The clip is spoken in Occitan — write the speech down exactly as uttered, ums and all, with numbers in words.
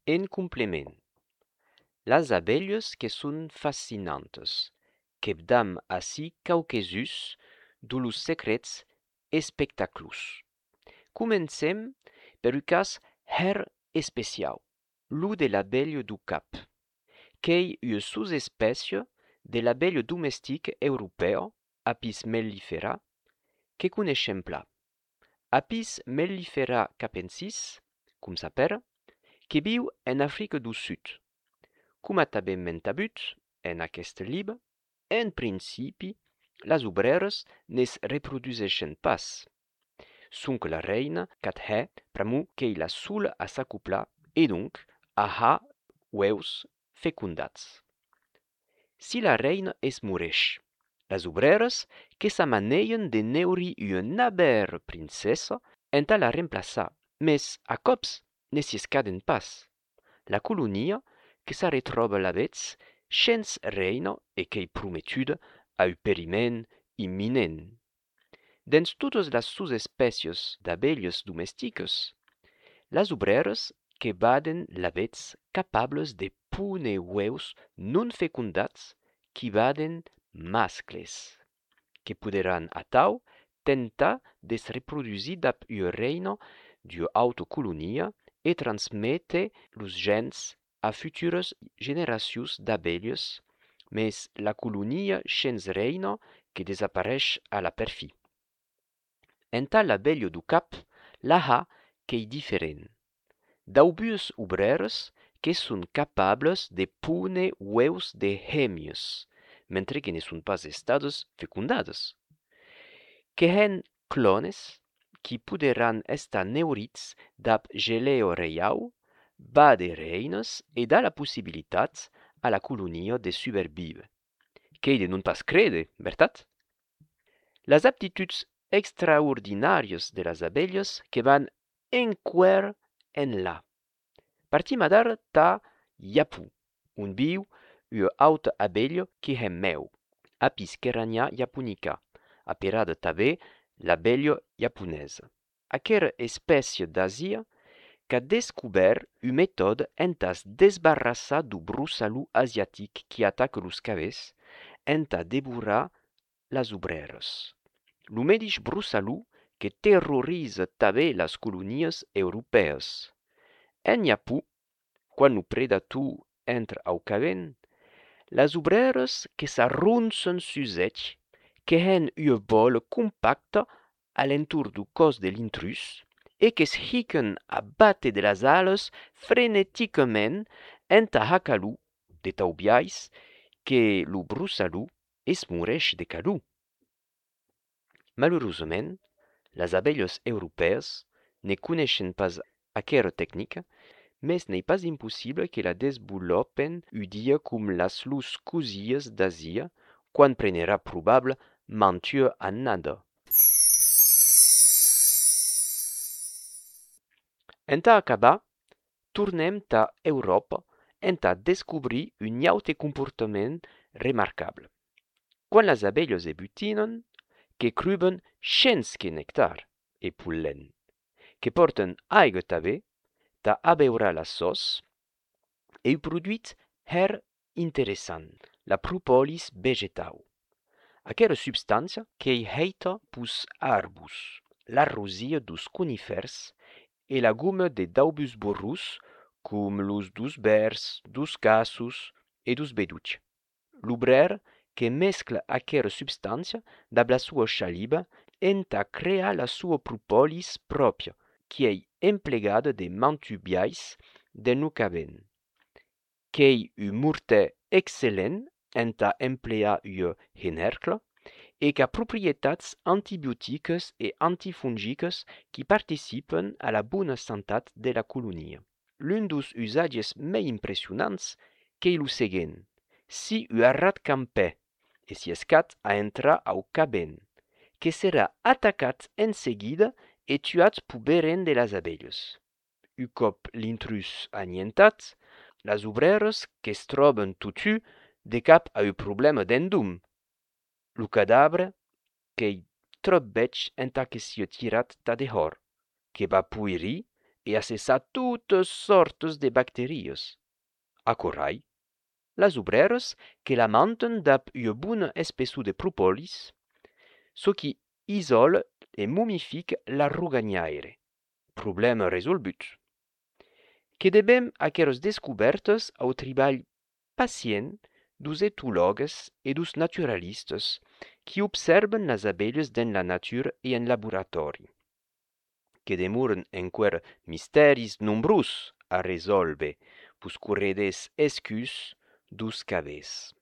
En complement, las abelhas que son fascinantas, que vedam ací quauques-uns de los secrets espectaclós. Comencem per un cas hèr especiau, lo de l'abelha deu cap, qu'ei ua sosespècia de l'abelha domestica europèa, Apis mellifera, que coneishem plan. Apis mellifera capensis, com s'apèra, que viu en Africa deu Sud. Coma tanben m'èn tabut en aqueste libe, en principi, las obrèras ne's reproduseishen pas. Sonque la reina qu'at hè pr'amor qu'ei la sola a s'acoplar e donc a har uèus fecondats. Si la reina es moreish, las obrèras que s'amanejan de neurir ua navèra princessa entà la remplaçar, mes a còps ne s'i escaden pas. La colonia que s'arretròba lavetz shens reina e qu'ei prometuda a un periment imminent. Dens totas las sosespècias d'abelhas domesticas, las obrèras que baden lavetz capablas de póner uèus non fecondats qui baden mascles, que poderàn atau tentar de's reprodusir dab ua reina d'ua auta colonia e transméter los gèns a futuras generacions d'abelhas, mes la colonia shens reina que desapareish a la perfin. Entà l'abelha deu cap, la har qu'ei diferent. Daubuas obrèras que son capablas de póner uèus de hemnas, mentre que ne son pas estadas fecondadas. Que hèn clònes qui poderàn estar neurits dab gelèa reiau, bàder reinas e dar la possibilitat a la colonia de subervíver. Qu'ei de non pas créder, vertat? Las aptituds extraordinàrias de las abelhas que van enqüèra enlà. Partim adara tà Japon, on viu ua auta abelha qui hèm mèu, Apis kerania japonica, aperada tanben l'abelha japonesa. Aquera espècia d'Asia qu'a descobèrt un metòde entà's desbarrassar deu brossalon asiatic qui ataca los cavèths entà devorar las obrèras. Lo medish brossalon que terroriza tanben las colonias europèas. En Japon, quan lo predator entra au cavèth, las obrèras que s'arronsan sus eth, que hèn ua bòla compacta a l'entorn deu còs de l'intrús e que's hican a bàter de las alas freneticament entà har calor, de tau biais que lo brossalon es moreish de calor. Malurosament, las abelhas europèas ne coneishen pas aquera tecnica, mes n'ei pas impossible que la desvolòpen un dia com las lors cosias d'Asia, quan prenerà probable mantua annada. Entà acabar, tornem tà Euròpa entà descobrir un aute comportament remarcable. Quan las abelhas se butinan, que cruban shens que nectar e pol·len, que pòrtan aiga tanben tà abeurar las sòs, e un produit hèr interessant, la propolis vegetau. Aquera substància qu'ei hèita peus arbos, la rosia deus conifèrs e la goma de daubuas borrons, com los deus bèrs, deus cassos e deus bedots. L'obrèr que mescla aquera substància dab la soa chaliba entà crear la soa propolis pròpia, qui ei emplegada de mantu biais dens lo cavèth. Qu'ei un mortèr excellent entà emplear ua henèrcla e qu'a proprietats antibioticas e antifongicas qui participan a la bona santat de la colonia. L'un deus usatges mei impressionants qu'ei lo seguent: si un arrat campè e s'i escat a entrar au cavèth, que serà atacat en seguida e tuat peu berren de las abelhas. Un còp l'intrús anientat, las obrèras que's tròban totun de cap a un problèma d'endom. Lo cadabre qu'ei tròp bèth entà que sia tirat tà dehòr, que va poirir e a cessar totas sòrtas de bacterias. Aquò rai, las obrèras que la mantan dab ua bona espessor de propòlis, çò qui isòla e momifica la roganhaire. Problèma resolvut. Que devem aqueras descobèrtas au tribalh pacient deus etològues e deus naturalistas qui obsèrvan las abelhas dens la natura e en laboratòri. Que demoran enqüèra mistèris nombrós a resòlver peus correders escurs deus qu'avètz.